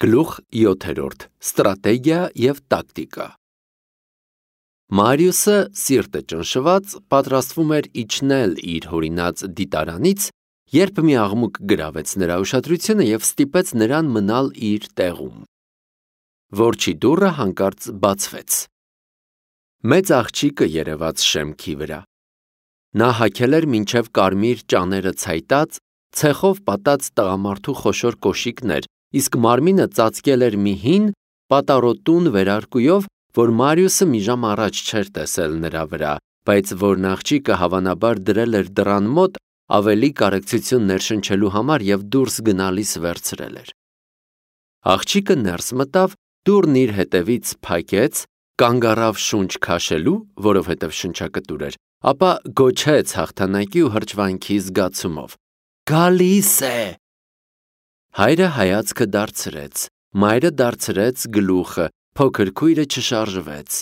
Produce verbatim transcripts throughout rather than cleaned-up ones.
Գլուխ յոթերորդ. Ստրատեգիա և տակտիկա։ Մարիուսը սիրտը ճնշված պատրաստվում էր իջնել իր հորինած դիտարանից, երբ մի աղմուկ գրավեց նրա ուշադրությունը և ստիպեց նրան մնալ իր տեղում։ Որջի դուռը հանկարծ բացվեց։ Մեծ աղջիկը երևաց շեմքի վրա։ Նա հագել էր մինչև կարմիր ճաները ցայտած, ցեխով պատած տղամարդու խոշոր կոշիկներ, իսկ մարմինը ծածկել էր մի հին, պատառոտուն վերարկուով, որ Մարիուսը մի ժամ առաջ չէր տեսել նրա վրա, բայց որն աղջիկը հավանաբար դրել էր դռան մոտ ավելի կարեկցություն ներշնչելու համար և դուրս գնալիս վերցրել էր։ Աղջիկը ներս մտավ, դուռն իր հետևից փակեց, կանգ առավ շունչ քաշելու, որովհետև շնչակտուր էր, ապա գոչեց հաղթանակի ու հրճվանքի զգացումով. «Գալիս է»։ Հայրը հայացքը դարձրեց, մայրը դարձրեց գլուխը, փոքր քույրը չշարժվեց։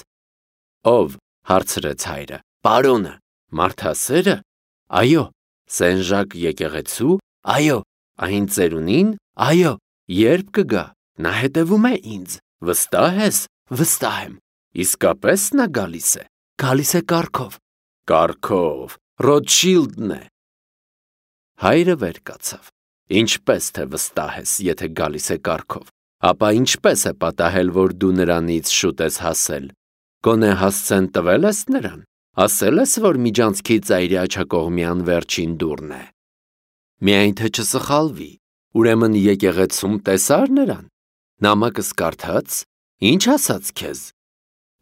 Ո՞վ, հարցրեց հայրը։ Պարոնը։ Մարդասե՞րը։ Այո։ Սեն-Ժակ եկեղեցու։ Այո։ Այն ծերունին։ Այո։ Ե՞րբ կգա։ Նա հետևում է ինձ։ Վստահ ես։ Վստահ եմ։ Իսկապես նա գալիս է։ Գալիս է կառքով։ Կառքով։ Ռոթշիլդն է։ Հայրը վեր կացավ։ Ինչպես թե վստահ ես, եթե գալիս է կառքով, ապա ինչպես է պատահել, որ դու նրանից շուտ ես հասել։ Գոնե հասցեն տվել ես նրան, ասել ես, որ միջանցքի ծայրի աջակողմյան վերջին դուռն է։ Միայն թե չսխալվի, ուրեմն եկեղեցում տեսա՞ր նրան։ Նամակս կարդաց։ Ինչ ասաց քեզ։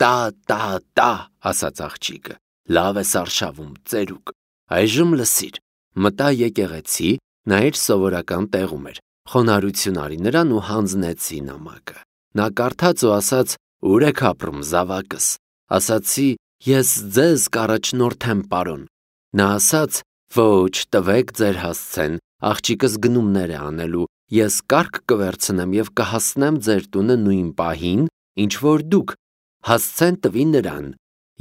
Տա, տա, տա, ասաց աղջիկը։ Լավ ես արշավում, ծերուկ։ Այժմ լսիր։ Մտա եկեղեցի, նա իր սովորական տեղում էր։ Խոնարհություն արի նրան ու հանձնեցի նամակը։ Նա կարդաց ու ասաց. Ուր եք ապրում, զավակս։ Ասացի. Ես ձեզ կառաջնորդեմ, պարոն։ Նա ասաց. Ոչ, տվեք ձեր հասցեն, աղջիկս գնումներ է անելու, ես կառք կվերցնեմ և կհասնեմ ձեր տունը նույն պահին, ինչ որ դուք, հասցեն տվի նրան։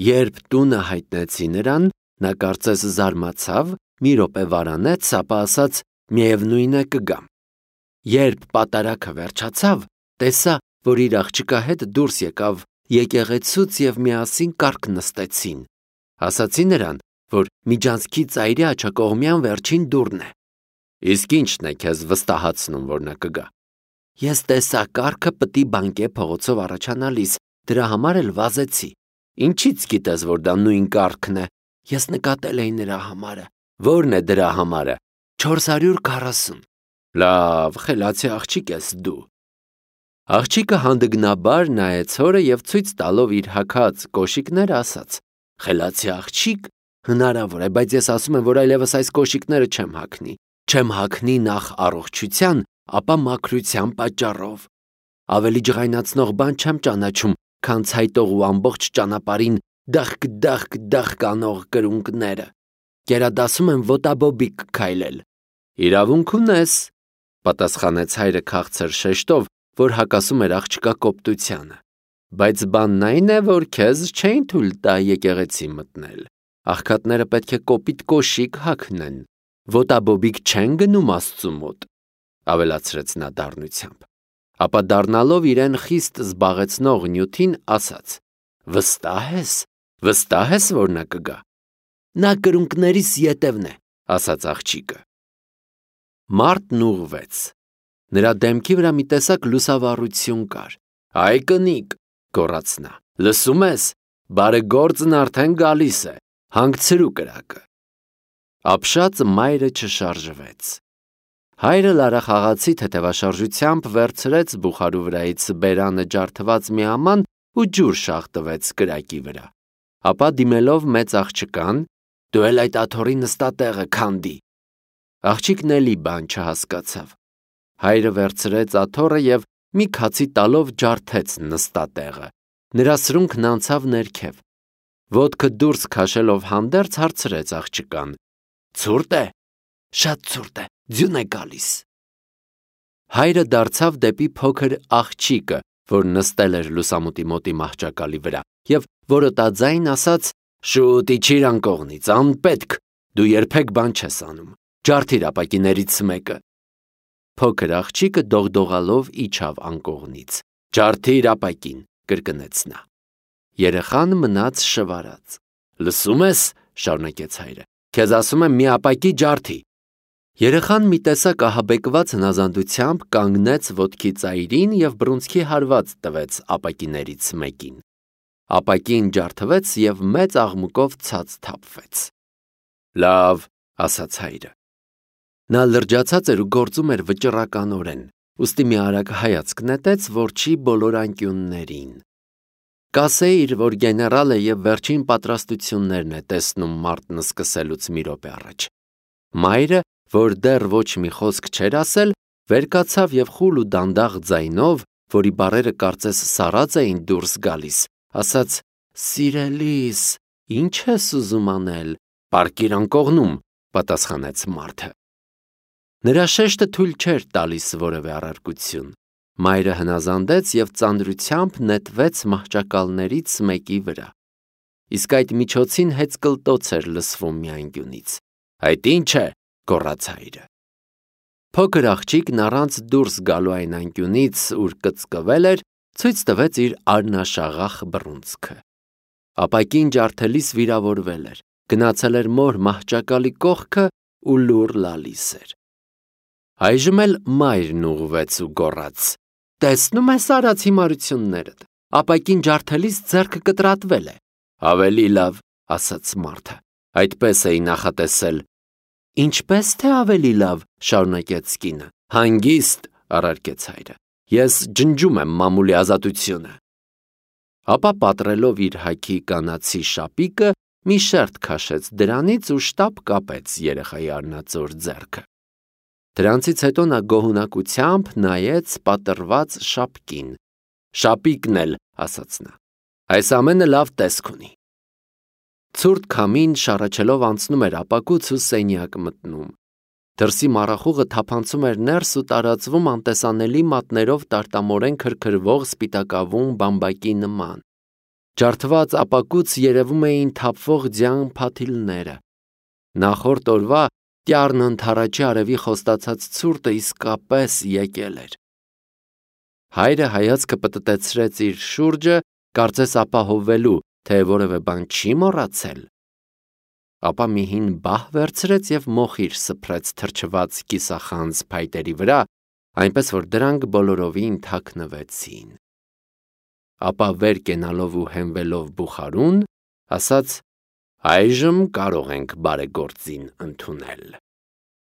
Երբ տունը հայտնեցի նրան, նա կարծես զարմացավ, մի րոպե վարանեց, ապա ասաց. Միևնույն է կգամ։ Երբ պատարագը վերջացավ, տեսա, որ իր աղջկա հետ դուրս եկավ եկեղեցուց և միասին կառք նստեցին։ Ասացի նրան, որ միջանցքի ծայրի աջակողմյան վերջին դուռն է։ Իսկ ի՞նչն է քեզ վստահացնում, որ նա կգա։ Ես տեսա կառքը պտի բանկե փողոցով առաջանալիս, դրա համար էլ վազեցի։ Ինչից գիտես, որ դա նույն կառքն է։ Ես նկատել էի նրա համարը։ Ո՞րն է դրա համարը։ չորս հարյուր քառասուն։ Լավ, խելացի աղջիկ ես դու։ Աղջիկը հանդգնաբար նայեց հորը և ցույց տալով իր հագած կոշիկները ասաց. Խելացի աղջիկ, հնարավոր է, բայց ես ասում եմ, որ այլևս այս կոշիկները չեմ հագնի։ Չեմ հագնի նախ առողջության, ապա մաքրության պատճառով։ Ավելի ջղայնացնող բան չեմ ճանաչում, քան ցայտող ու ամբողջ ճանապարհին դախկ-դախկ-դախկ անող կրունկները։ Գերադասում եմ ոտաբոբիկ քայլել։ Իրավունք ունես, պատասխանեց հայրը քաղցր շեշտով, որ հակասում էր աղջկա կոպտությանը։ Բայց բանն այն է, որ քեզ չէին թույլ տա եկեղեցի մտնել։ Աղքատները պետք է կոպիտ կոշիկ հագնեն։ Ոտաբոբիկ չեն գնում Աստծու մոտ, ավելացրեց նա դառնությամբ։ Ապա դառնալով իրեն խիստ զբաղեցնող նյութին ասաց. Վստահ ես, վստահ ես, որ նա կգա։ Նա կրունկներիս ետևն է, ասաց աղջիկը։ Մարդն ուղղվեց։ Նրա դեմքի վրա մի տեսակ լուսավառություն կար։ Այ կնիկ, գոռաց նա, լսում ես, բարեգործն արդեն գալիս է, հանգցրու կրակը։ Ապշած մայրը չշարժվեց։ Հայրը լարախաղացի թեթևաշարժությամբ վերցրեց բուխարու վրայից բերանը ջարդված մի աման ու ջուր շաղ տվեց կրակի վրա։ Ապա դիմելով մեծ աղջկան, դու էլ այդ աթոռի նստատեղը քանդի։ Աղջիկն էլի բան չհասկացավ։ Հայրը վերցրեց աթոռը և մի քացի տալով ջարդեց նստատեղը։ Նրա սրունքն անցավ ներքև։ Ոտքը դուրս քաշելով հանդերձ հարցրեց աղջկան. Ցուրտ է։ Շատ ցուրտ է, ձյուն է գալիս։ Հայրը դարձավ դեպի փոքր աղջիկը, որ նստել էր լուսամուտի մոտի մահճակալի վրա, և որոտաձայն ասաց. Շուտ իջիր անկողնից, անպետք, դու երբեք բան չես անում։ Ջարդիր ապակիներից մեկը։ Փոքր աղջիկը դողդողալով իջավ անկողնից։ Ջարդիր ապակին, կրկնեց նա։ Երեխան մնաց շվարած։ Լսում ես, շարունակեց հայրը, քեզ ասում եմ մի ապակի ջարդի։ Երեխան մի տեսակ ահաբեկված հնազանդությամբ կանգնեց ոտքի ծայրին և բռունցքի հարված տվեց ապակիներից մեկին։ Ապակին ջարդվեց և մեծ աղմուկով ցած թափվեց։ Լավ, ասաց հայրը։ Նա լրջացած էր ու գործում էր վճռականորեն, ուստի մի արագ հայացք նետեց որջի բոլոր անկյուններին։ Կասեիր, որ գեներալը և վերջին պատրաստություններն է տեսնում մարտն սկսելուց մի րոպե առաջ։ Մայրը, որ դեռ ոչ մի խոսք չէր ասել, վեր կացավ և խուլ ու դանդաղ ձայնով, որի բառերը կարծես սառած էին դուրս գալիս, ասաց. «Սիրելիս, ի՞նչ ես ուզում անել, պառկիր անկողնում», պատասխանեց մարդը։ Նրա շեշտը թույլ չէր տալիս որևէ առարկություն։ Մայրը հնազանդեց և ծանրությամբ նետվեց մահճակալներից մեկի վրա։ Իսկ այդ միջոցին հեծկլտոց էր լսվում մի անկյունից։ Այդ ի՞նչ է, գոռաց հայրը։ Փոքր աղջիկն առանց դուրս գալու այն անկյունից, ուր կծկվել էր, ցույց տվեց իր արնաշաղախ բռունցքը։ Ապակին ջարդելիս վիրավորվել էր, գնացել էր մոր մահճակալի կողքը ու լուռ լալիս էր։ Այժմ էլ մայրն ուղղվեց ու գոռաց. «Տեսնում ես արած հիմարություններդ, ապակին ջարդելիս ձեռքը կտրատվել է»։ Ավելի լավ, ասաց մարդը, այդպես էի նախատեսել։ Ինչպես թե ավելի լավ, շարունակեց կինը։ Հանգիստ, առարկեց հայրը, ես ջնջում եմ մամուլի ազատությունը։ Ապա պատռելով իր հագի կանացի շապիկը, մի շերտ քաշեց դրանից ու շտապ կապեց երեխայի արնածոր ձեռքը։ Դրանցից հետո նա գոհունակությամբ նայեց պատռված շապկին։ Շապիկն էլ, ասաց նա, այս ամենը լավ տեսք ունի։ Ցուրտ քամին շառաչելով անցնում էր ապակուց ու սենյակ մտնում։ Դրսի մառախուղը թափանցում էր ներս ու տարածվում անտեսանելի մատներով տարտամորեն քրքրվող սպիտակավուն բամբակի նման։ Ջարդված ապակուց երևում էին թափվող ձյան փաթիլները։ Նախորդ օրվա տյառն ընդառաջի արևի խոստացած ցուրտը իսկապես եկել էր։ Հայրը հայացքը պտտեցրեց իր շուրջը, կարծես ապահովելու, թե որևէ բան չի մոռացել։ Ապա մի հին բահ վերցրեց և մոխիր սփռեց թրջված կիսախանձ փայտերի վրա, այնպես որ դրանք բոլորովին թաքնվեցին։ Ապա վեր կենալով ու հենվելով բուխարուն, ասաց. «Այժմ կարող ենք բարեգործին ընդունել»։